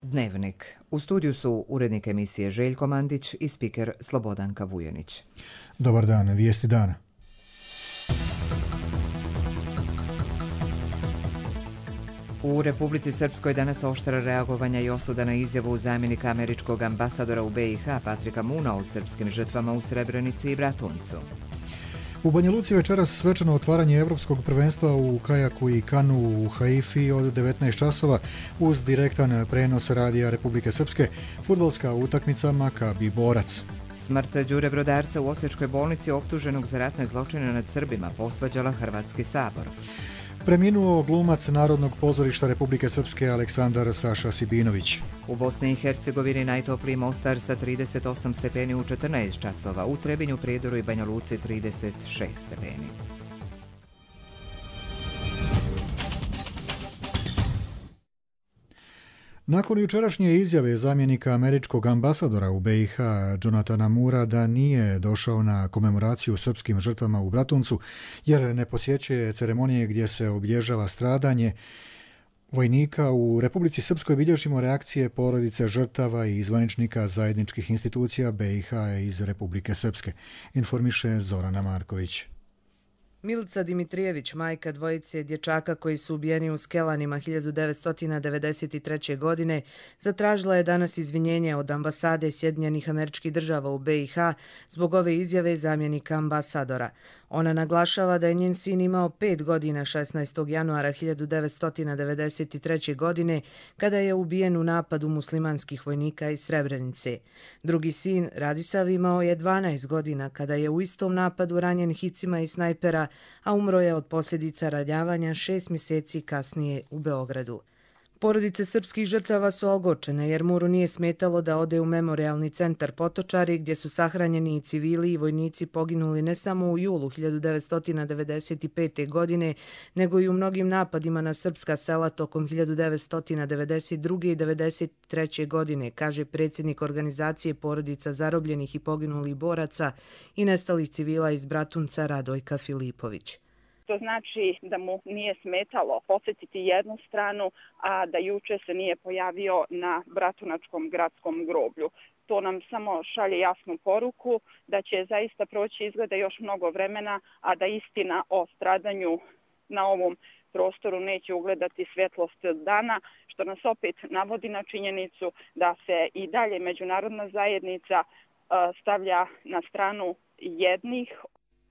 Dnevnik. U studiju su urednik emisije Željko Mandić i spiker Slobodanka Vujanić. Dobar dan, vijesti dana. U Republici Srpskoj danas oštra reagovanja i osuda na izjavu zamjenika američkog ambasadora u BiH Patrika Moona o srpskim žrtvama u Srebrenici i Bratuncu. U Banja Luci večeras svečano otvaranje Evropskog prvenstva u kajaku i kanu u Haifi od 19 časova uz direktan prenos radija Republike Srpske, fudbalska utakmica Makabi Borac. Smrt Đure Brodarca u Osječkoj bolnici optuženog za ratne zločine nad Srbima posvađala Hrvatski sabor. Preminuo glumac Narodnog pozorišta Republike Srpske Aleksandar Saša Sibinović. U Bosni i Hercegovini najtopliji Mostar sa 38 stepeni u 14 časova, u Trebinju, Prijedoru i Banja Luci 36 stepeni. Nakon jučerašnje izjave zamjenika američkog ambasadora u BiH Jonathana Moora da nije došao na komemoraciju srpskim žrtvama u Bratuncu jer ne posjećuje ceremonije gdje se obilježava stradanje vojnika, u Republici Srpskoj bilježimo reakcije porodice žrtava i zvaničnika zajedničkih institucija BiH iz Republike Srpske, informiše Zorana Marković. Milica Dimitrijević, majka dvojice dječaka koji su ubijeni u Skelanima 1993. godine, zatražila je danas izvinjenje od ambasade Sjedinjenih Američkih Država u BiH zbog ove izjave zamjenika ambasadora. Ona naglašava da je njen sin imao 5 godina 16. januara 1993. godine kada je ubijen u napadu muslimanskih vojnika iz Srebrenice. Drugi sin, Radisav, imao je 12 godina kada je u istom napadu ranjen hicima i snajpera, a umro je od posljedica ranjavanja 6 mjeseci kasnije u Beogradu. Porodice srpskih žrtava su ogorčene jer Mouru nije smetalo da ode u memorijalni centar Potočari gdje su sahranjeni i civili i vojnici poginuli ne samo u julu 1995. godine, nego i u mnogim napadima na srpska sela tokom 1992. i 1993. godine, kaže predsjednik organizacije porodica zarobljenih i poginulih boraca i nestalih civila iz Bratunca Radojka Filipović. To znači da mu nije smetalo posjetiti jednu stranu, a da juče se nije pojavio na Bratunačkom gradskom groblju. To nam samo šalje jasnu poruku da će zaista proći izgleda još mnogo vremena, a da istina o stradanju na ovom prostoru neće ugledati svjetlost dana, što nas opet navodi na činjenicu da se i dalje međunarodna zajednica stavlja na stranu jednih.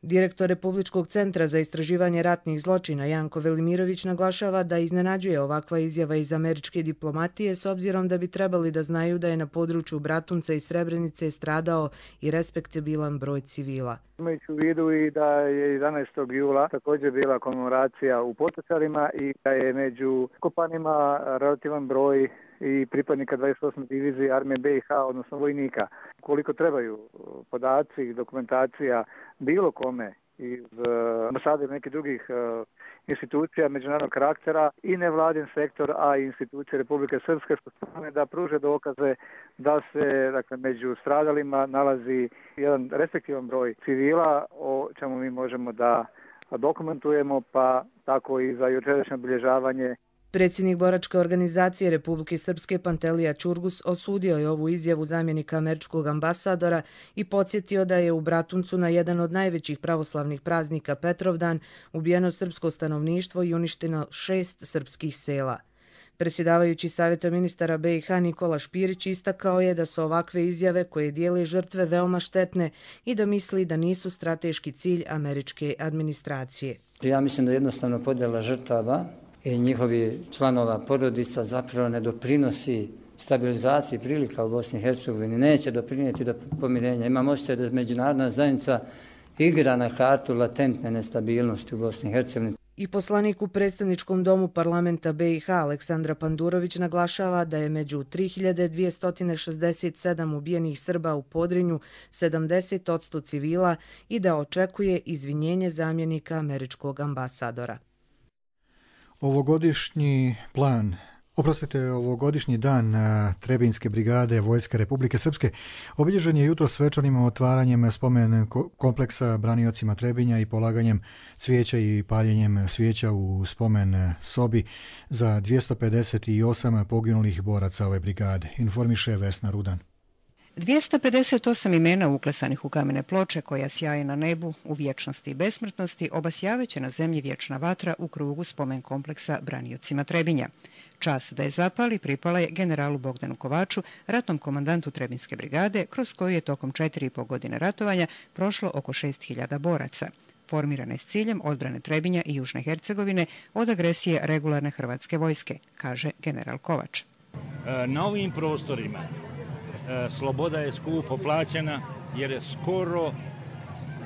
Direktor Republičkog centra za istraživanje ratnih zločina Janko Velimirović naglašava da iznenađuje ovakva izjava iz američke diplomatije s obzirom da bi trebali da znaju da je na području Bratunca i Srebrenice stradao i respektabilan broj civila. Imajući u vidu i da je 11. jula također bila komemoracija u Potočarima i da je među kopanima relativan broj i pripadnika 28. divizije armije BiH, odnosno vojnika. Koliko trebaju podaci i dokumentacija bilo kome iz ambasade ili nekih drugih institucija međunarodnog karaktera i nevladin sektor, a i institucije Republike Srpske, što strane da pruže dokaze da se među stradalima nalazi jedan respektivan broj civila, o čemu mi možemo da dokumentujemo, pa tako i za jučerašnje obilježavanje. Predsjednik boračke organizacije Republike Srpske Pantelija Čurgus osudio je ovu izjavu zamjenika američkog ambasadora i podsjetio da je u Bratuncu na jedan od najvećih pravoslavnih praznika Petrovdan ubijeno srpsko stanovništvo i uništeno 6 srpskih sela. Predsjedavajući Savjeta ministara BiH Nikola Špirić istakao je da su ovakve izjave koje dijele žrtve veoma štetne i da misli da nisu strateški cilj američke administracije. Ja mislim da jednostavno podjela žrtava i njihovi članova porodica zapravo ne doprinosi stabilizaciji prilika u Bosni i Hercegovini, neće doprinijeti do pomirenja. Imam osjećaj da međunarodna zajednica igra na kartu latentne nestabilnosti u Bosni i Hercegovini. I poslanik u predstavničkom domu parlamenta BiH Aleksandra Pandurović naglašava da je među 3267 ubijenih Srba u Podrinju 70% civila i da očekuje izvinjenje zamjenika američkog ambasadora. Ovogodišnji plan Oprostite, ovogodišnji dan Trebinjske brigade Vojske Republike Srpske obilježen je jutro svečanim otvaranjem spomen kompleksa braniocima Trebinja i polaganjem cvijeća i paljenjem svijeća u spomen sobi za 258 poginulih boraca ove brigade, informiše Vesna Rudan. 258 imena uklesanih u kamene ploče koja sjaje na nebu u vječnosti i besmrtnosti obasjaveće na zemlji vječna vatra u krugu spomen kompleksa braniocima Trebinja. Čast da je zapali pripala je generalu Bogdanu Kovaču, ratnom komandantu Trebinjske brigade, kroz koju je tokom 4,5 godine ratovanja prošlo oko 6.000 boraca. Formirana je s ciljem odbrane Trebinja i Južne Hercegovine od agresije regularne hrvatske vojske, kaže general Kovač. Na ovim prostorima sloboda je skupo plaćena jer je skoro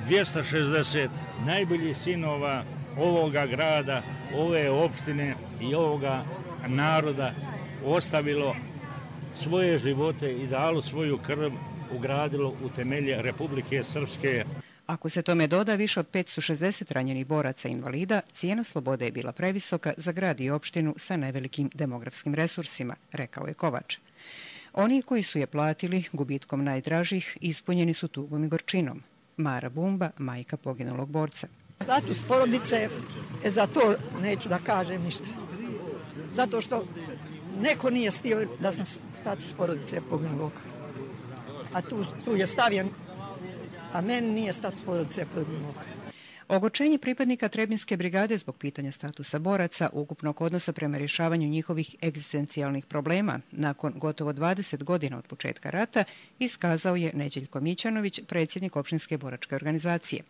260 najboljih sinova ovoga grada, ove opštine i ovoga naroda ostavilo svoje živote i dalo svoju krv, ugradilo u temelje Republike Srpske. Ako se tome doda više od 560 ranjenih boraca i invalida, cijena slobode je bila previsoka za grad i opštinu sa nevelikim demografskim resursima, rekao je Kovač. Oni koji su je platili gubitkom najdražih ispunjeni su tugom i gorčinom. Mara Bumba, majka poginulog borca. Status porodice, za to neću da kažem ništa. Zato što neko nije stio da sam status porodice poginulog. A tu je stavljen, a meni nije status porodice poginulog. Ogorčenje pripadnika Trebinjske brigade zbog pitanja statusa boraca, ukupnog odnosa prema rješavanju njihovih egzistencijalnih problema nakon gotovo 20 godina od početka rata iskazao je Neđeljko Mićanović, predsjednik opštinske boračke organizacije.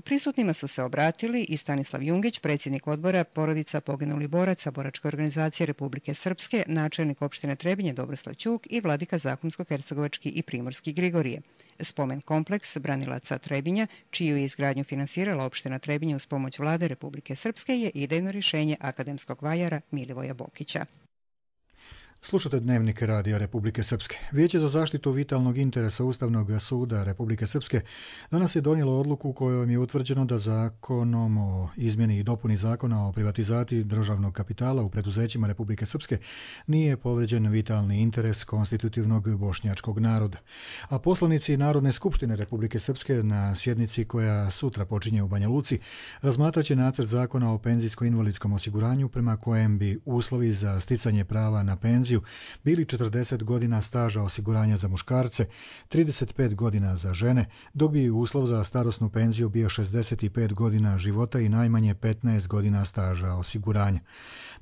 Prisutnima su se obratili i Stanislav Jungić, predsjednik odbora porodica poginulih boraca Boračke organizacije Republike Srpske, načelnik opštine Trebinje Dobroslav Ćuk i vladika Zakonsko-hercegovački i Primorski Grigorije. Spomen kompleks branilaca Trebinja, čiju je izgradnju finansirala opština Trebinje uz pomoć vlade Republike Srpske, je idejno rješenje akademskog vajara Milivoja Bokića. Slušate Dnevnik Radija Republike Srpske. Vijeće za zaštitu vitalnog interesa Ustavnog suda Republike Srpske danas je donijelo odluku kojom je utvrđeno da zakonom o izmjeni i dopuni zakona o privatizaciji državnog kapitala u preduzećima Republike Srpske nije povrijeđen vitalni interes konstitutivnog bošnjačkog naroda. A poslanici Narodne skupštine Republike Srpske na sjednici koja sutra počinje u Banja Luci razmatraće nacrt zakona o penzijsko-invalidskom osiguranju prema kojem bi uslovi za sticanje prava na penziju bili 40 godina staža osiguranja za muškarce, 35 godina za žene, dok bi uslov za starosnu penziju bio 65 godina života i najmanje 15 godina staža osiguranja.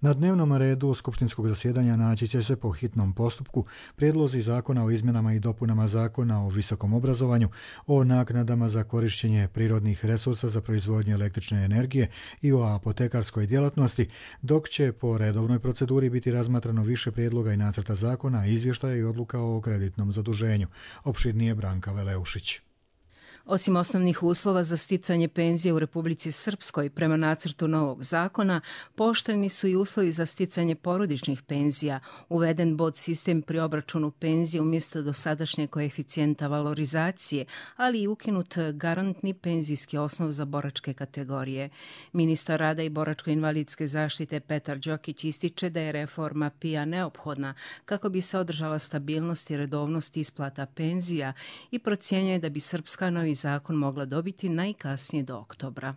Na dnevnom redu skupštinskog zasjedanja naći će se po hitnom postupku prijedlozi zakona o izmjenama i dopunama zakona o visokom obrazovanju, o naknadama za korišćenje prirodnih resursa za proizvodnju električne energije i o apotekarskoj djelatnosti, dok će po redovnoj proceduri biti razmatrano više prijedloga i nacrta zakona, izvještaja i odluka o kreditnom zaduženju. Opširnije Branka Veleušić. Osim osnovnih uslova za sticanje penzije u Republici Srpskoj prema nacrtu novog zakona, pooštreni su i uslovi za sticanje porodičnih penzija, uveden bod sistem pri obračunu penzije umjesto dosadašnje koeficijenta valorizacije, ali i ukinut garantni penzijski osnov za boračke kategorije. Ministar rada i boračko-invalidske zaštite Petar Đokić ističe da je reforma PIA neophodna kako bi se održala stabilnost i redovnost isplata penzija i procjenjuje da bi srpska novi zakon mogla dobiti najkasnije do oktobra.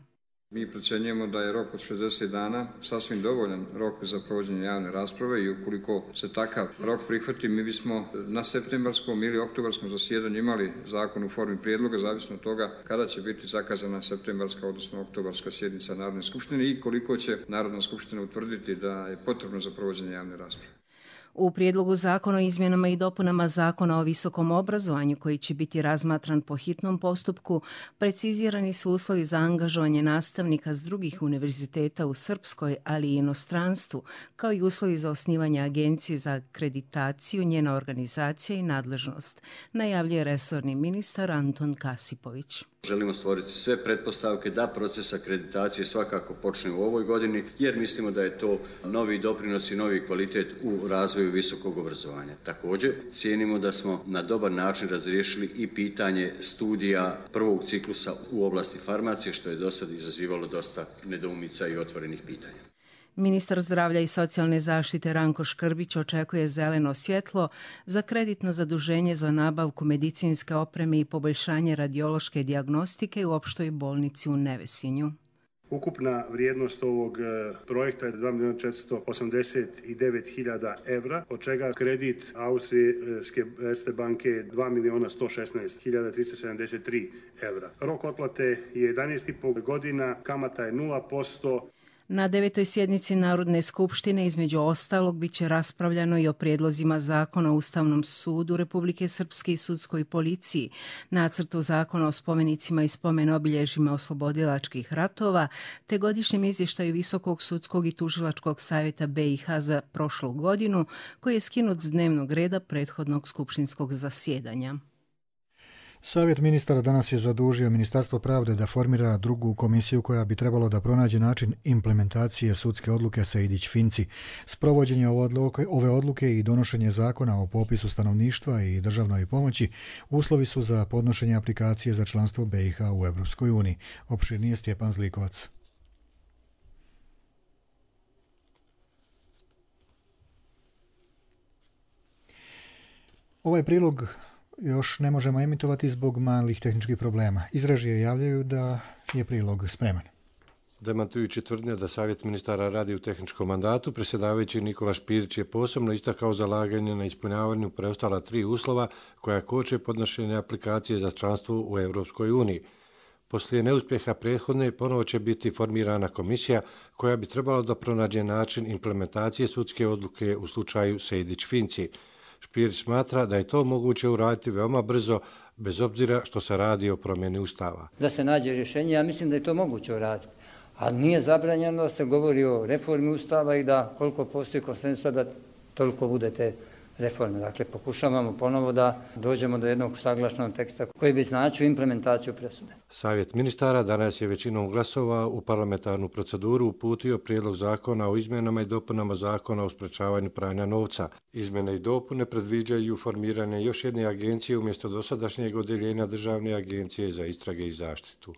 Mi procjenjujemo da je rok od 60 dana sasvim dovoljan rok za provođenje javne rasprave i ukoliko se takav rok prihvati, mi bismo na septembarskom ili oktobarskom zasjedanju imali zakon u formi prijedloga, zavisno od toga kada će biti zakazana septembarska, odnosno oktobarska sjednica Narodne skupštine i koliko će Narodna skupština utvrditi da je potrebno za provođenje javne rasprave. U prijedlogu zakona o izmjenama i dopunama zakona o visokom obrazovanju, koji će biti razmatran po hitnom postupku, precizirani su uslovi za angažovanje nastavnika s drugih univerziteta u Srpskoj, ali i inostranstvu, kao i uslovi za osnivanje agencije za akreditaciju, njena organizacija i nadležnost, najavljuje resorni ministar Anton Kasipović. Želimo stvoriti sve pretpostavke da proces akreditacije svakako počne u ovoj godini, jer mislimo da je to novi doprinos i novi kvalitet u razvoju visokog obrazovanja. Također, cijenimo da smo na dobar način razriješili i pitanje studija prvog ciklusa u oblasti farmacije, što je do sad izazivalo dosta nedoumica i otvorenih pitanja. Ministar zdravlja i socijalne zaštite Ranko Škrbić očekuje zeleno svjetlo za kreditno zaduženje za nabavku medicinske opreme i poboljšanje radiološke dijagnostike u opštoj bolnici u Nevesinju. Ukupna vrijednost ovog projekta je 2.489.000 evra, od čega kredit Austrijske Erste banke 2.116.373 evra. Rok otplate je 11,5 godina, kamata je 0%. Na 9. sjednici Narodne skupštine između ostalog bit će raspravljano i o prijedlozima zakona o Ustavnom sudu Republike Srpske i sudskoj policiji, nacrtu zakona o spomenicima i spomen-obilježjima oslobodilačkih ratova, te godišnjem izvještaju Visokog sudskog i tužilačkog savjeta BiH za prošlu godinu, koji je skinut s dnevnog reda prethodnog skupštinskog zasjedanja. Savjet ministara danas je zadužio Ministarstvo pravde da formira drugu komisiju koja bi trebalo da pronađe način implementacije sudske odluke Sejdić-Finci. Sprovođenje ove odluke i donošenje zakona o popisu stanovništva i državnoj pomoći uslovi su za podnošenje aplikacije za članstvo BiH u Evropskoj uniji. Opširnije Stjepan Zlikovac. Ovaj prilog još ne možemo emitovati zbog malih tehničkih problema. Iz režije javljaju da je prilog spreman. Demantujući tvrdnje da Savjet ministara radi u tehničkom mandatu, predsjedavajući Nikola Špirić je posebno istakao zalaganje na ispunjavanju preostala 3 uslova koja koče podnošenje aplikacije za članstvo u Evropskoj uniji. Poslije neuspjeha prethodne ponovo će biti formirana komisija koja bi trebala da pronađe način implementacije sudske odluke u slučaju Sejdić-Finci. Špirić smatra da je to moguće uraditi veoma brzo, bez obzira što se radi o promjeni Ustava. Da se nađe rješenje, ja mislim da je to moguće uraditi. A nije zabranjeno da se govori o reformi Ustava i da koliko postoji konsenzusa da toliko bude te reforme. Dakle, pokušavamo ponovo da dođemo do jednog usaglašenog teksta koji bi značio implementaciju presude. Savjet ministara danas je većinom glasova u parlamentarnu proceduru uputio prijedlog zakona o izmjenama i dopunama zakona o sprečavanju pranja novca. Izmjene i dopune predviđaju formiranje još jedne agencije umjesto dosadašnjeg odjeljenja Državne agencije za istrage i zaštitu.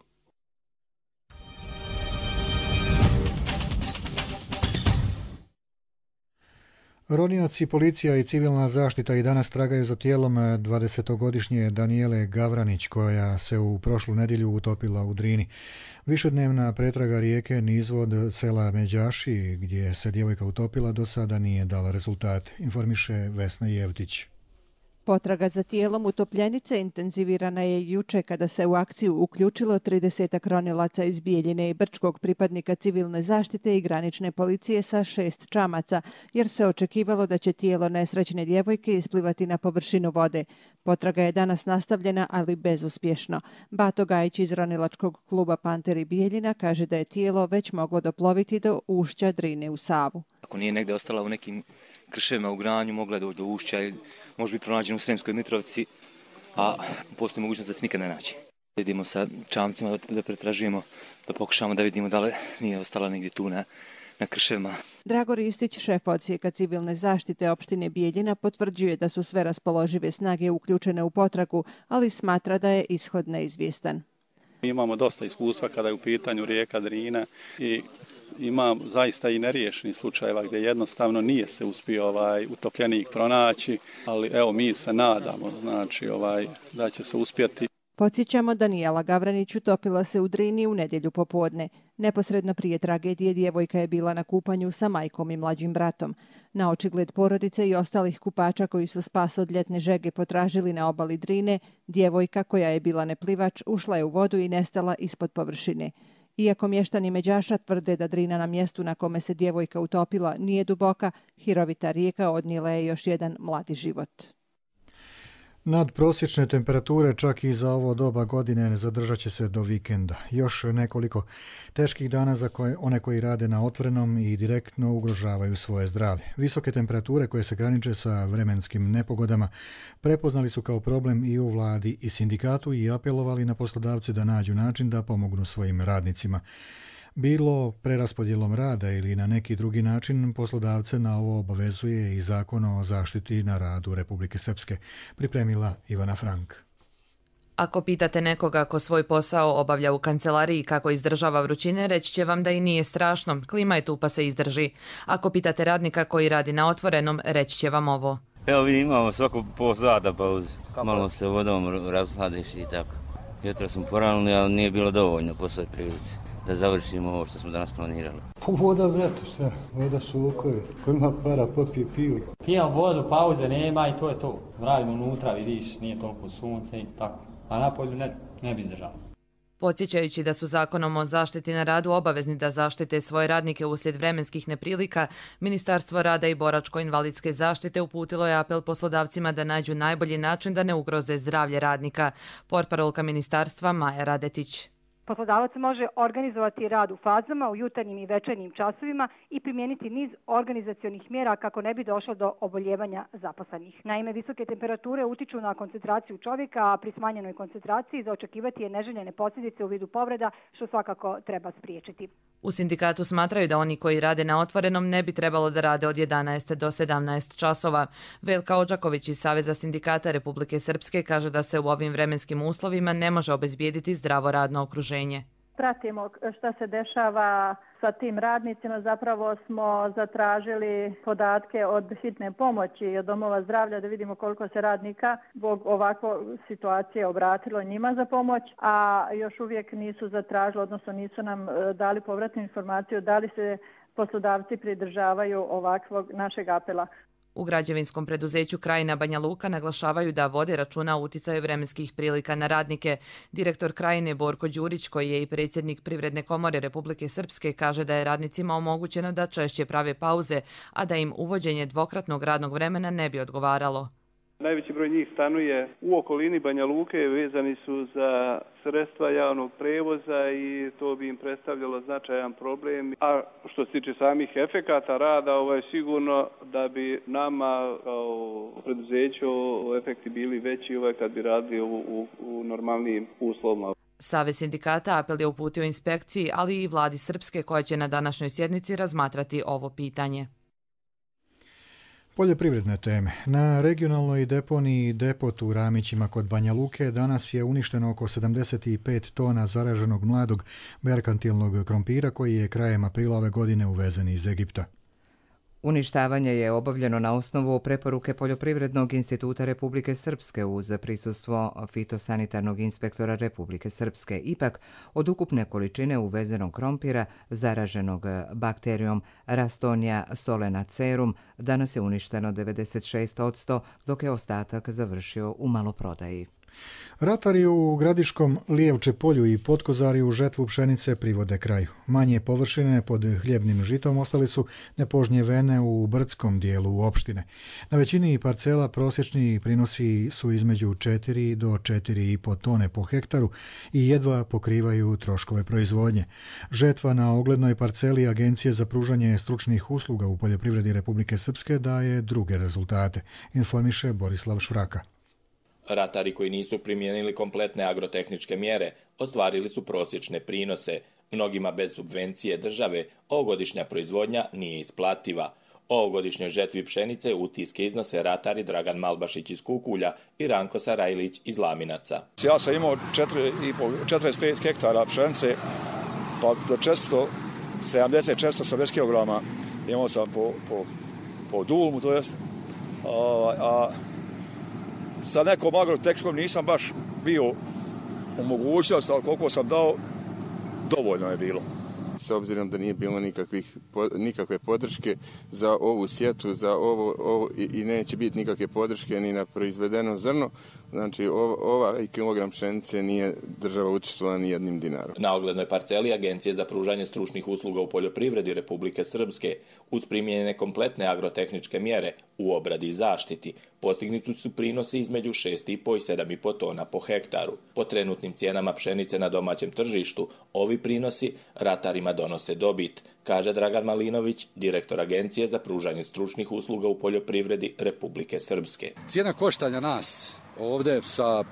Ronioci, policija i civilna zaštita i danas tragaju za tijelom 20-godišnje Danijele Gavranić, koja se u prošlu nedjelju utopila u Drini. Višednevna pretraga rijeke nizvod sela Međaši, gdje se djevojka utopila, do sada nije dala rezultate, informiše Vesna Jevtić. Potraga za tijelom utopljenice intenzivirana je juče kada se u akciju uključilo 30 ronilaca iz Bijeljine i Brčkog, pripadnika civilne zaštite i granične policije sa 6 čamaca, jer se očekivalo da će tijelo nesrećne djevojke isplivati na površinu vode. Potraga je danas nastavljena, ali bezuspješno. Bato Gajić iz ronilačkog kluba Panteri Bijeljina kaže da je tijelo već moglo doploviti do ušća Drine u Savu. Ako nije negde ostala u nekim krševima u Granju, mogla doći do ušća i može biti pronađena u Sremskoj Mitrovici, a postoji mogućnost da se nikad ne nađe. Idemo sa čamcima da pretražujemo, da pokušamo da vidimo da li nije ostala negdje tu na krševima. Drago Ristić, šef odsjeka civilne zaštite opštine Bijeljina, potvrđuje da su sve raspoložive snage uključene u potragu, ali smatra da je ishod neizvjestan. Mi imamo dosta iskustva kada je u pitanju rijeka Drina i ima zaista i neriješenih slučajeva gdje jednostavno nije se uspio utopljenik pronaći, ali evo mi se nadamo da će se uspjeti. Podsjećamo, Danijela Gavranić utopila se u Drini u nedjelju popodne. Neposredno prije tragedije djevojka je bila na kupanju sa majkom i mlađim bratom. Na očigled porodice i ostalih kupača koji su spas od ljetne žege potražili na obali Drine, djevojka koja je bila neplivač ušla je u vodu i nestala ispod površine. Iako mještani Međaša tvrde da Drina na mjestu na kome se djevojka utopila nije duboka, hirovita rijeka odnijela je još jedan mladi život. Nadprosječne temperature čak i za ovo doba godine zadržat će se do vikenda. Još nekoliko teških dana za one koji rade na otvorenom i direktno ugrožavaju svoje zdravlje. Visoke temperature koje se graniče sa vremenskim nepogodama prepoznali su kao problem i u vladi i sindikatu i apelovali na poslodavce da nađu način da pomognu svojim radnicima. Bilo preraspodjelom rada ili na neki drugi način, poslodavce na ovo obavezuje i Zakon o zaštiti na radu Republike Srpske, pripremila Ivana Frank. Ako pitate nekoga ko svoj posao obavlja u kancelariji kako izdržava vrućine, reći će vam da i nije strašno, klima je tu pa se izdrži. Ako pitate radnika koji radi na otvorenom, reći će vam ovo. Evo vi imamo svako pol sata pauze, malo se vodom razhladiš i tako. Jutro smo poranili, ali nije bilo dovoljno po svoj prilici da završimo ovo što smo danas planirali. Voda, brate, sve, voda su okovi, ko ima para popije pivu. Pijam vodu, pauze nema i to je to. Radimo unutra, vidiš, nije toliko sunce i tako. A napolju ne bi izdržao. Podsjećajući da su Zakonom o zaštiti na radu obavezni da zaštite svoje radnike uslijed vremenskih neprilika, Ministarstvo rada i boračko-invalidske zaštite uputilo je apel poslodavcima da nađu najbolji način da ne ugroze zdravlje radnika. Portparolka ministarstva Maja Radetić. Poslodavac može organizovati rad u fazama, u jutarnjim i večernjim časovima i primijeniti niz organizacionih mjera kako ne bi došlo do oboljevanja zaposlenih. Naime, visoke temperature utiču na koncentraciju čovjeka, a pri smanjenoj koncentraciji za očekivati je neželjene posljedice u vidu povreda, što svakako treba spriječiti. U sindikatu smatraju da oni koji rade na otvorenom ne bi trebalo da rade od 11 do 17 časova. Velka Odžaković iz Saveza sindikata Republike Srpske kaže da se u ovim vremenskim uslovima ne može obezbijediti zdravo radno okruženje. Pratimo šta se dešava sa tim radnicima. Zapravo smo zatražili podatke od hitne pomoći i od domova zdravlja da vidimo koliko se radnika zbog ovakve situacije obratilo njima za pomoć, a još uvijek nisu zatražili, odnosno nisu nam dali povratnu informaciju da li se poslodavci pridržavaju ovakvog našeg apela. U građevinskom preduzeću Krajina Banja Luka naglašavaju da vode računa o uticaju vremenskih prilika na radnike. Direktor Krajine Borko Đurić, koji je i predsjednik Privredne komore Republike Srpske, kaže da je radnicima omogućeno da češće prave pauze, a da im uvođenje dvokratnog radnog vremena ne bi odgovaralo. Najveći broj njih stanuje u okolini Banja Luke, vezani su za sredstva javnog prevoza i to bi im predstavljalo značajan problem. A što se tiče samih efekata rada, sigurno da bi nama kao preduzeću efekti bili veći kad bi radili u normalnim uslovima. Savez sindikata apel je uputio inspekciji, ali i vladi Srpske koja će na današnjoj sjednici razmatrati ovo pitanje. Poljoprivredne teme. Na regionalnoj deponiji Depot u Ramićima kod Banja Luke danas je uništeno oko 75 tona zaraženog mladog merkantilnog krompira koji je krajem aprila ove godine uvezen iz Egipta. Uništavanje je obavljeno na osnovu preporuke Poljoprivrednog instituta Republike Srpske uz prisustvo fitosanitarnog inspektora Republike Srpske. Ipak, od ukupne količine uvezenog krompira zaraženog bakterijom Rastonia solenacerum danas je uništeno 96%, dok je ostatak završio u maloprodaji. Ratari u Gradiškom, Lijevče polju i Potkozariju žetvu pšenice privode kraju. Manje površine pod hljebnim žitom ostali su nepožnjevene u brdskom dijelu opštine. Na većini parcela prosječni prinosi su između 4 do 4,5 tone po hektaru i jedva pokrivaju troškove proizvodnje. Žetva na oglednoj parceli Agencije za pružanje stručnih usluga u poljoprivredi Republike Srpske daje druge rezultate, informiše Borislav Švraka. Ratari koji nisu primijenili kompletne agrotehničke mjere ostvarili su prosječne prinose. Mnogima bez subvencije države ovogodišnja proizvodnja nije isplativa. O ovogodišnjoj žetvi pšenice utiske iznose ratari Dragan Malbašić iz Kukulja i Ranko Sarajlić iz Laminaca. Ja sam imao 45 hektara pšenice, pa do 470 kg imao sam po dulmu, to jest, a sa nekom agrotehničkom nisam baš bio u mogućnosti, ali koliko sam dao, dovoljno je bilo. S obzirom da nije bilo nikakve podrške za ovu sjetvu, za ovo i neće biti nikakve podrške ni na proizvedeno zrno, znači ovaj kilogram pšenice nije država učestvovala ni jednim dinarom. Na oglednoj parceli Agencije za pružanje stručnih usluga u poljoprivredi Republike Srpske uz primjenjene kompletne agrotehničke mjere u obradi i zaštiti postignuti su prinosi između 6,5 i 7,5 tona po hektaru. Po trenutnim cijenama pšenice na domaćem tržištu, ovi prinosi ratarima donose dobit, kaže Dragan Malinović, direktor Agencije za pružanje stručnih usluga u poljoprivredi Republike Srpske. Cijena koštanja nas ovdje sa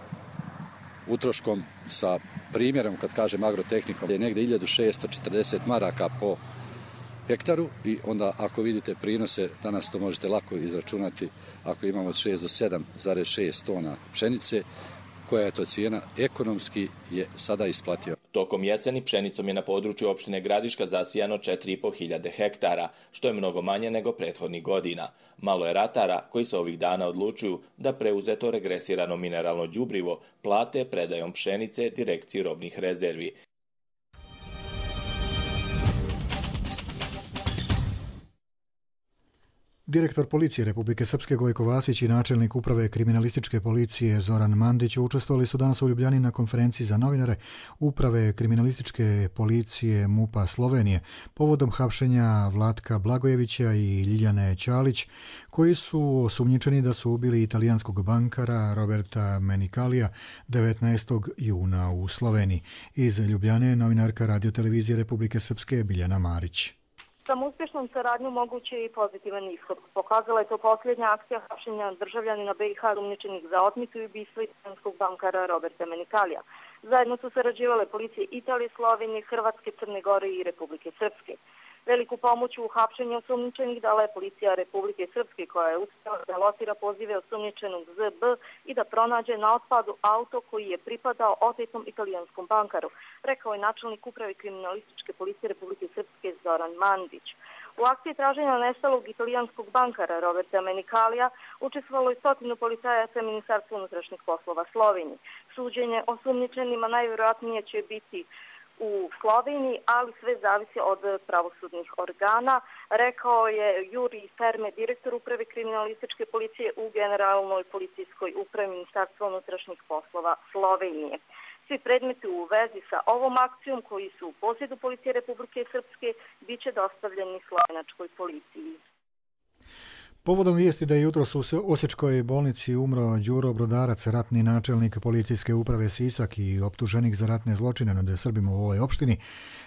utroškom, sa primjerom, kad kažem agrotehnikom, je negdje 1640 maraka po hektaru i onda ako vidite prinose, danas to možete lako izračunati, ako imamo od 6 do 7,6 tona pšenice, koja je to cijena, ekonomski je sada isplatio. Tokom jeseni pšenicom je na području opštine Gradiška zasijano 4.500 hektara, što je mnogo manje nego prethodnih godina. Malo je ratara koji se ovih dana odlučuju da preuzeto regresirano mineralno đubrivo plate predajom pšenice direkciji robnih rezervi. Direktor policije Republike Srpske Gojko Vasić i načelnik uprave kriminalističke policije Zoran Mandić učestvovali su danas u Ljubljani na konferenciji za novinare uprave kriminalističke policije MUP-a Slovenije povodom hapšenja Vlatka Blagojevića i Ljiljane Ćalić, koji su osumnjičeni da su ubili italijanskog bankara Roberta Menikalija 19. juna u Sloveniji. Iz Ljubljane novinarka radiotelevizije Republike Srpske Biljana Marić. Samo uspješnom saradnju moguće je i pozitivan ishod. Pokazala je to posljednja akcija hapšenja državljanina BiH osumnjičenih za otmicu i ubistvo italijanskog bankara Roberta Menikalija. Zajedno su sarađivale policije Italije, Slovenije, Hrvatske, Crne Gore i Republike Srpske. Veliku pomoć u hapšenju osumnjičenih dala je policija Republike Srpske, koja je uspjela da locira pozive osumnjičenog ZB i da pronađe na otpadu auto koji je pripadao otetom italijanskom bankaru, rekao je načelnik uprave kriminalističke policije Republike Srpske Zoran Mandić. U akciji traženja nestalog italijanskog bankara Roberta Menikalija učestvovalo je 100 policajaca Ministarstva unutrašnjih poslova Slovenije. Suđenje osumnjičenima najvjerojatnije će biti u Sloveniji, ali sve zavisi od pravosudnih organa, rekao je Juri Ferme, direktor uprave kriminalističke policije u Generalnoj policijskoj upravi Ministarstva unutrašnjih poslova Slovenije. Svi predmeti u vezi sa ovom akcijom, koji su u posjedu policije Republike Srpske, bit će dostavljeni slovenačkoj policiji. Povodom vijesti da je jutros u Osječkoj bolnici umro Đuro Brodarac, ratni načelnik policijske uprave Sisak i optuženik za ratne zločine nad Srbima u ovoj opštini,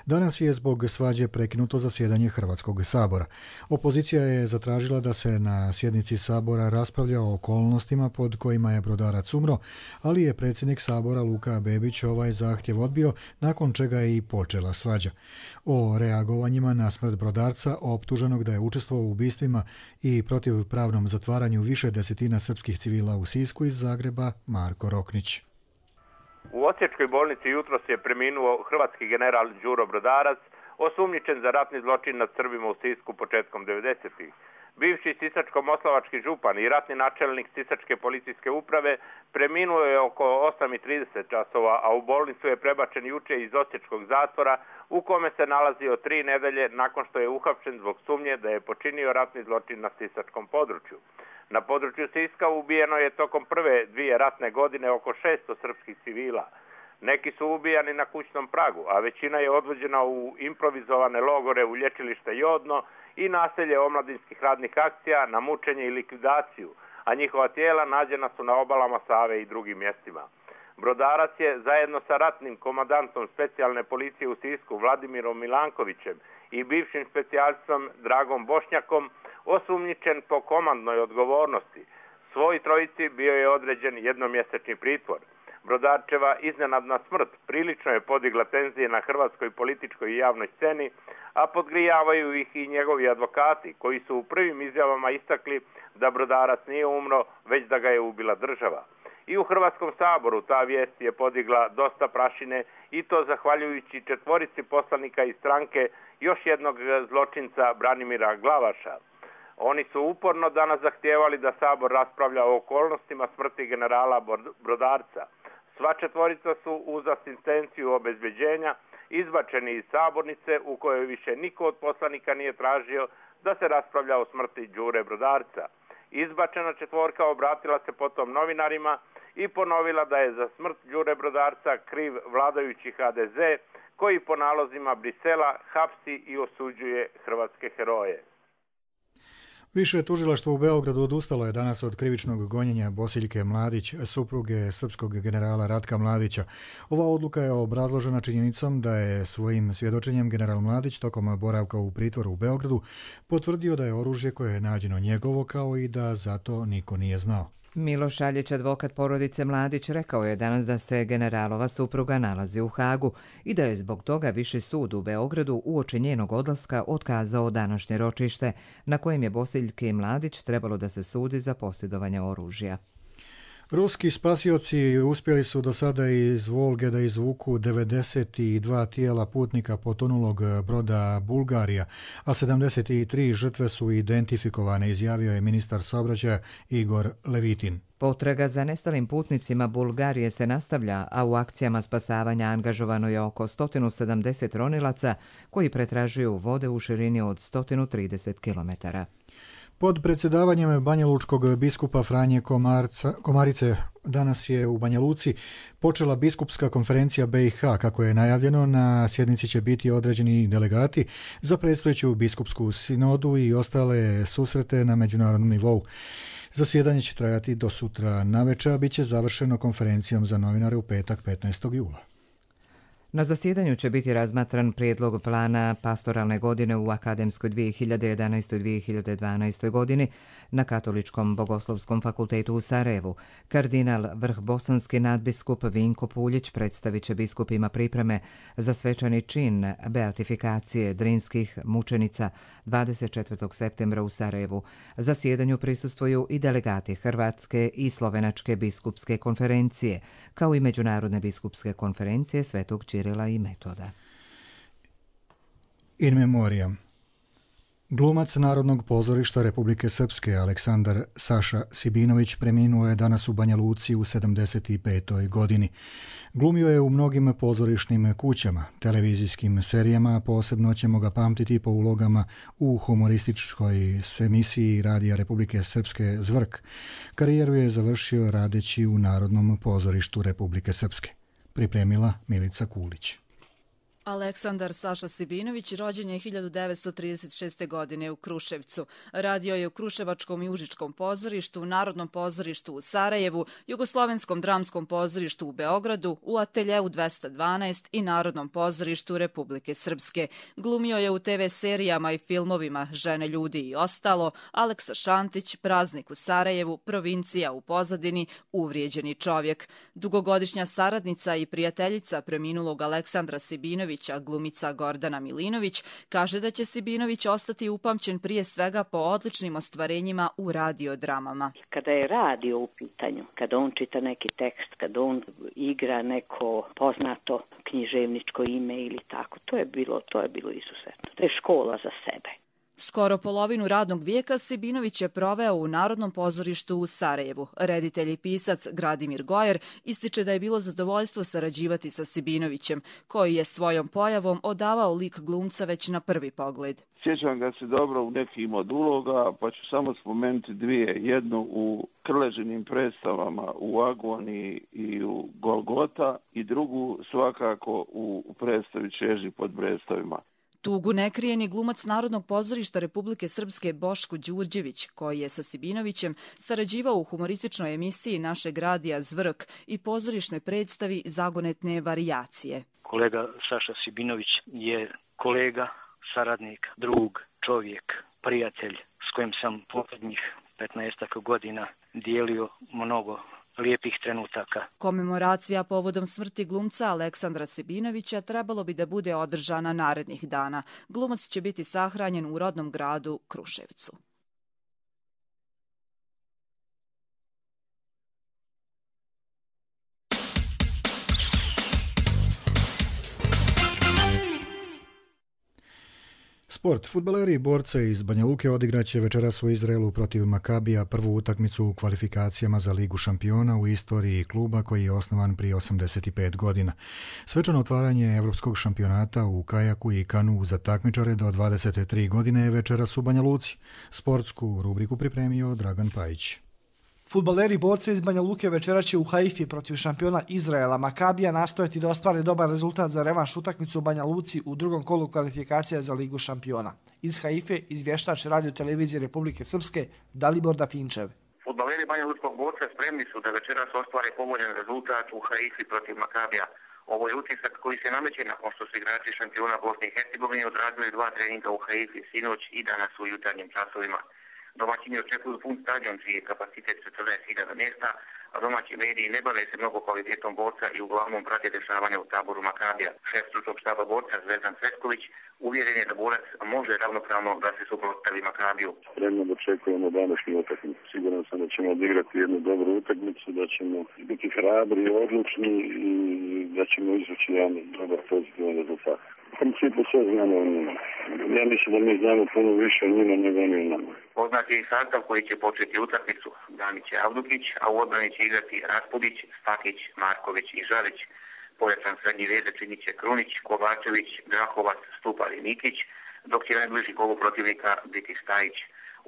danas je zbog svađe prekinuto zasjedanje Hrvatskog sabora. Opozicija je zatražila da se na sjednici sabora raspravlja o okolnostima pod kojima je Brodarac umro, ali je predsjednik sabora Luka Bebić ovaj zahtjev odbio, nakon čega je i počela svađa. O reagovanjima na smrt Brodarca, optuženog da je učestvovao u ubistvima i protiv pravnom zatvaranju više desetina srpskih civila u Sisku, iz Zagreba Marko Roknić. U Osječkoj bolnici jutros je preminuo hrvatski general Đuro Brodarac, osumnjičen za ratni zločin nad Srbima u Sisku početkom 90-ih. Bivši sisačko-moslavački župan i ratni načelnik Sisačke policijske uprave preminuo je oko 8:30 časova, a u bolnicu je prebačen juče iz Osječkog zatvora, u kome se nalazio 3 nedelje nakon što je uhapšen zbog sumnje da je počinio ratni zločin na sisačkom području. Na području Siska ubijeno je tokom prve 2 ratne godine oko 600 srpskih civila. Neki su ubijani na kućnom pragu, a većina je odvođena u improvizovane logore u lječilište Jodno i naselje omladinskih radnih akcija na mučenje i likvidaciju, a njihova tijela nađena su na obalama Save i drugim mjestima. Brodarac je zajedno sa ratnim komandantom specijalne policije u Sisku Vladimirom Milankovićem i bivšim specijalcom Dragom Bošnjakom osumnjičen po komandnoj odgovornosti. Svoj trojici bio je određen jednomjesečni pritvor. Brodarčeva iznenadna smrt prilično je podigla tenzije na hrvatskoj političkoj i javnoj sceni, a podgrijavaju ih i njegovi advokati, koji su u prvim izjavama istakli da Brodarac nije umro, već da ga je ubila država. I u Hrvatskom saboru ta vijest je podigla dosta prašine, i to zahvaljujući 4 poslanika iz stranke još jednog zločinca Branimira Glavaša. Oni su uporno danas zahtijevali da Sabor raspravlja o okolnostima smrti generala Brodarca. Sva 4 su uz asistenciju obezbeđenja izbačeni iz sabornice, u kojoj više niko od poslanika nije tražio da se raspravlja o smrti Đure Brodarca. Izbačena 4 obratila se potom novinarima i ponovila da je za smrt Đure Brodarca kriv vladajući HDZ, koji po nalozima Brisela hapsi i osuđuje hrvatske heroje. Više tužilaštvo u Beogradu odustalo je danas od krivičnog gonjenja Bosiljke Mladić, supruge srpskog generala Ratka Mladića. Ova odluka je obrazložena činjenicom da je svojim svjedočenjem general Mladić tokom boravka u pritvoru u Beogradu potvrdio da je oružje koje je nađeno njegovo, kao i da zato niko nije znao. Miloš Šaljić, advokat porodice Mladić, rekao je danas da se generalova supruga nalazi u Hagu i da je zbog toga Viši sud u Beogradu uoči njenog odlaska otkazao današnje ročište, na kojem je Bosiljki Mladić trebalo da se sudi za posjedovanje oružja. Ruski spasioci uspjeli su do sada iz Volge da izvuku 92 tijela putnika potonulog broda Bulgarija, a 73 žrtve su identifikovane, izjavio je ministar saobraćaja Igor Levitin. Potraga za nestalim putnicima Bulgarije se nastavlja, a u akcijama spasavanja angažovano je oko 170 ronilaca koji pretražuju vode u širini od 130 km. Pod predsjedavanjem banjalučkog biskupa Franje Komarice danas je u Banja Luci počela biskupska konferencija BiH. Kako je najavljeno, na sjednici će biti određeni delegati za predstojeću biskupsku sinodu i ostale susrete na međunarodnom nivou. Zasjedanje će trajati do sutra navečer, a bit će završeno konferencijom za novinare u petak 15. jula. Na zasjedanju će biti razmatran prijedlog plana pastoralne godine u akademskoj 2011-2012. godini na Katoličkom bogoslovskom fakultetu u Sarajevu. Kardinal vrhbosanski nadbiskup Vinko Puljić predstavit će biskupima pripreme za svečani čin beatifikacije drinskih mučenica 24. septembra u Sarajevu. Zasjedanju prisustvuju i delegati Hrvatske i Slovenačke biskupske konferencije, kao i Međunarodne biskupske konferencije Svetog Čirila i Metoda. In memoriam. Glumac Narodnog pozorišta Republike Srpske Aleksandar Saša Sibinović preminuo je danas u Banja Luci u 75. godini. Glumio je u mnogim pozorišnim kućama, televizijskim serijama, a posebno ćemo ga pamtiti po ulogama u humorističkoj emisiji Radija Republike Srpske Zvrk. Karijeru je završio radeći u Narodnom pozorištu Republike Srpske. Pripremila Milica Kulić. Aleksandar Saša Sibinović rođen je 1936. godine u Kruševcu. Radio je u Kruševačkom i Užičkom pozorištu, Narodnom pozorištu u Sarajevu, Jugoslovenskom dramskom pozorištu u Beogradu, u Ateljeu 212 i Narodnom pozorištu Republike Srpske. Glumio je u TV serijama i filmovima Žene, ljudi i ostalo, Aleksa Šantić, Praznik u Sarajevu, Provincija u pozadini, Uvrijeđeni čovjek. Dugogodišnja saradnica i prijateljica preminulog Aleksandra Sibinovića, glumica Gordana Milinović, kaže da će Sibinović ostati upamćen prije svega po odličnim ostvarenjima u radiodramama. Kada je radio u pitanju, kada on čita neki tekst, kada on igra neko poznato književničko ime ili tako, to je bilo izuzetno. To je škola za sebe. Skoro polovinu radnog vijeka Sibinović je proveo u Narodnom pozorištu u Sarajevu. Reditelj i pisac Gradimir Gojer ističe da je bilo zadovoljstvo sarađivati sa Sibinovićem, koji je svojom pojavom odavao lik glumca već na prvi pogled. Sjećam ga se dobro u nekim od uloga, pa ću samo spomenuti dvije. Jednu u Krležinim predstavama u Agoniji i u Golgota i drugu svakako u predstavi Čeži pod Brestovima. Tugu ne krije ni glumac Narodnog pozorišta Republike Srpske Boško Đurđević, koji je sa Sibinovićem sarađivao u humorističnoj emisiji našeg radija Zvrk i pozorišnoj predstavi Zagonetne varijacije. Kolega Saša Sibinović je kolega, saradnik, drug, čovjek, prijatelj s kojim sam posljednjih 15 godina dijelio mnogo lijepih trenutaka. Komemoracija povodom smrti glumca Aleksandra Sibinovića trebalo bi da bude održana narednih dana. Glumac će biti sahranjen u rodnom gradu Kruševcu. Sport. Fudbaleri i borce iz Banja Luke odigraće večeras u Izraelu protiv Makabija prvu utakmicu u kvalifikacijama za Ligu šampiona u istoriji kluba koji je osnovan prije 85 godina. Svečano otvaranje Evropskog šampionata u kajaku i kanu za takmičare do 23 godine je večeras u Banja Luci. Sportsku rubriku pripremio Dragan Pajić. Fudbaleri i borci iz Banja Luke večera će u Haifi protiv šampiona Izraela Makabija nastojati da ostvare dobar rezultat za revanš utakmicu u Banja Luci u drugom kolu kvalifikacija za Ligu šampiona. Iz Haife izvještač Radio televizije Republike Srpske Dalibor Dafinčev. Fudbaleri Banja Lučkog borca spremni su da večeras ostvare povoljan rezultat u Haifi protiv Makabija. Ovo je utisak koji se nameće nakon što su igrači šampiona Bosne i Hercegovine odradili 2 treninga u Haifi sinoć i danas u jutarnjim časovima. Domaćini očekuju pun stadion čiji je kapacitet 40.000 mjesta, a domaći mediji ne bave se mnogo kvalitetom borca i uglavnom prate dešavanja u taboru Makabija. Šef stručnog štaba borca Zvezdan Cvetković uvjeren je da borac može ravnopravno da se suprotstavi Makabiju. Spremno očekujemo današnju utakmicu. Siguran sam da ćemo odigrati jednu dobru utakmicu, da ćemo biti hrabri i odlučni i da ćemo izvući jedan dobar pozitivan rezultat. U principu sve znamo o njima. Ja mislim da mi znamo puno više o njima nego oni o nama. Poznat je i sastav koji će početi utakmicu. Danić i Avdukić, a u odbrani će igrati Raspudić, Stakić, Marković i Žalić. Pojačan srednji veze činit će Krunić, Kovačević, Grahovac, Stupar i Nikić, dok će najbliži kolu protivnika biti Stajić.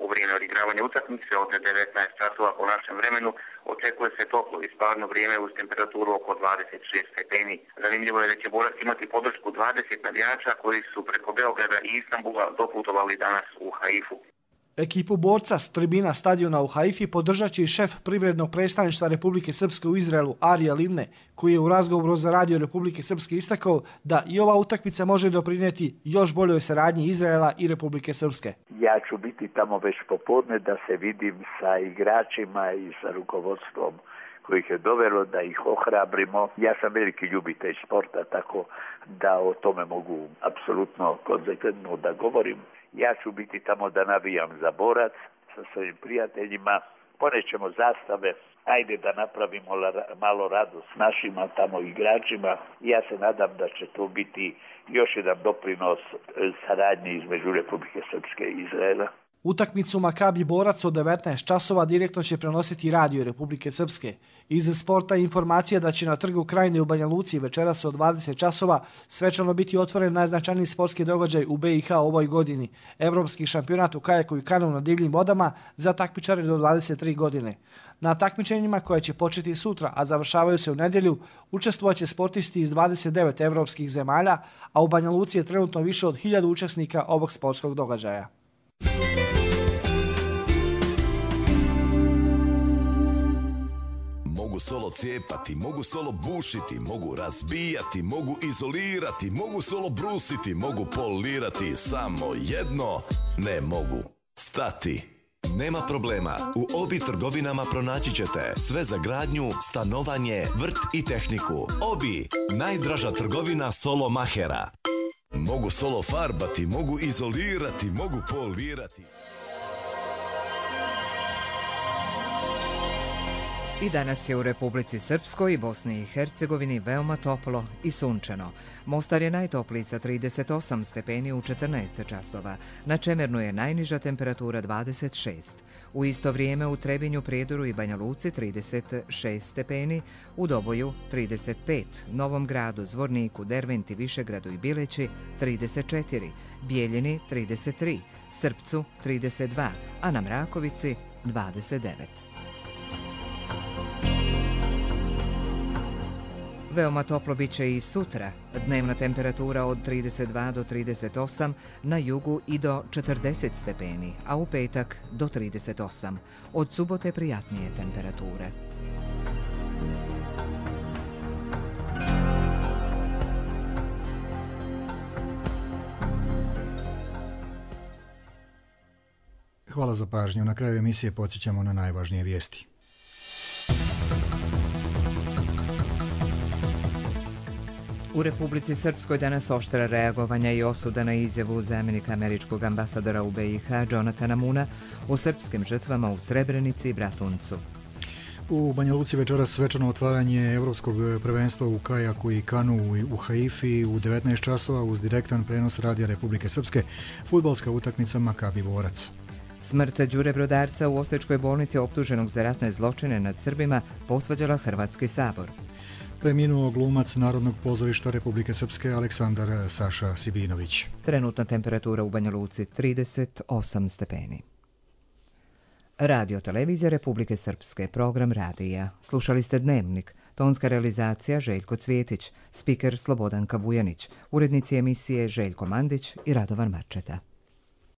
U vrijeme odigravanja utakmice od 19 časova po našem vremenu očekuje se toplo i sparno vrijeme uz temperaturu oko 26 stepeni. Zanimljivo je da će borac imati podršku 20 navijača koji su preko Beograda i Istanbula doputovali danas u Haifu. Ekipu borca s tribina stadiona u Haifi podržat će i šef privrednog predstavništva Republike Srpske u Izraelu Arija Livne, koji je u razgovoru za radio Republike Srpske istakao da i ova utakmica može doprinijeti još boljoj saradnji Izraela i Republike Srpske. Ja ću biti tamo već popodne da se vidim sa igračima i sa rukovodstvom kojih je dovelo, da ih ohrabrimo. Ja sam veliki ljubitelj sporta, tako da o tome mogu apsolutno konzekventno da govorim. Ja ću biti tamo da navijam za borac sa svojim prijateljima, ponećemo zastave, ajde da napravimo malo radost našima tamo igračima. Ja se nadam da će to biti još jedan doprinos saradnji između Republike Srpske i Izraela. Utakmicu Makabi borac od 19 časova direktno će prenositi radio Republike Srpske. Iz sporta je informacija da će na trgu Krajine u Banja Luci večeras od 20 časova svečano biti otvoren najznačajniji sportski događaj u BiH ovoj godini, Evropski šampionat u kajaku i kanu na divljim vodama za takmičare do 23 godine. Na takmičenjima koje će početi sutra, a završavaju se u nedjelju, učestvovaće sportisti iz 29 evropskih zemalja, a u Banja Luci je trenutno više od 1000 učesnika ovog sportskog događaja. Mogu solo cijepati, mogu solo bušiti, mogu razbijati, mogu izolirati, mogu solo brusiti, mogu polirati, samo jedno ne mogu stati. Nema problema, u Obi trgovinama pronaći ćete sve za gradnju, stanovanje, vrt i tehniku. Obi, najdraža trgovina solo mahera. Mogu solo farbati, mogu izolirati, mogu polirati. I danas je u Republici Srpskoj i Bosni i Hercegovini veoma toplo i sunčano. Mostar je najtopliji sa 38 stepeni u 14 časova. Na Čemernu je najniža temperatura 26. U isto vrijeme u Trebinju, Prijedoru i Banja Luci 36 stepeni, u Doboju 35, Novom Gradu, Zvorniku, Derventi, Višegradu i Bileći 34, Bijeljini 33, Srpcu 32, a na Mrakovici 29. Veoma toplo bit će i sutra. Dnevna temperatura od 32 do 38, na jugu i do 40 stepeni, a u petak do 38. Od subote prijatnije temperature. Hvala za pažnju. Na kraju emisije podsjećamo na najvažnije vijesti. U Republici Srpskoj danas oštra reagovanja i osuda na izjavu zamjenika američkog ambasadora u BiH Jonathana Moona o srpskim žrtvama u Srebrenici i Bratuncu. U Banja Luci večeras svečano otvaranje Evropskog prvenstva u kajaku i kanu u Haifi u 19 časova uz direktan prenos radija Republike Srpske, fudbalska utakmica Makabi borac. Smrt Đure Brodarca u Osječkoj bolnici optuženog za ratne zločine nad Srbima posvađala Hrvatski sabor. Preminuo glumac Narodnog pozorišta Republike Srpske Aleksandar Saša Sibinović. Trenutna temperatura u Banja Luci 38 stepeni. Radio Televizija Republike Srpske, program radija. Slušali ste Dnevnik, tonska realizacija Željko Cvjetić, spiker Slobodanka Vujanić, urednici emisije Željko Mandić i Radovan Marčeta.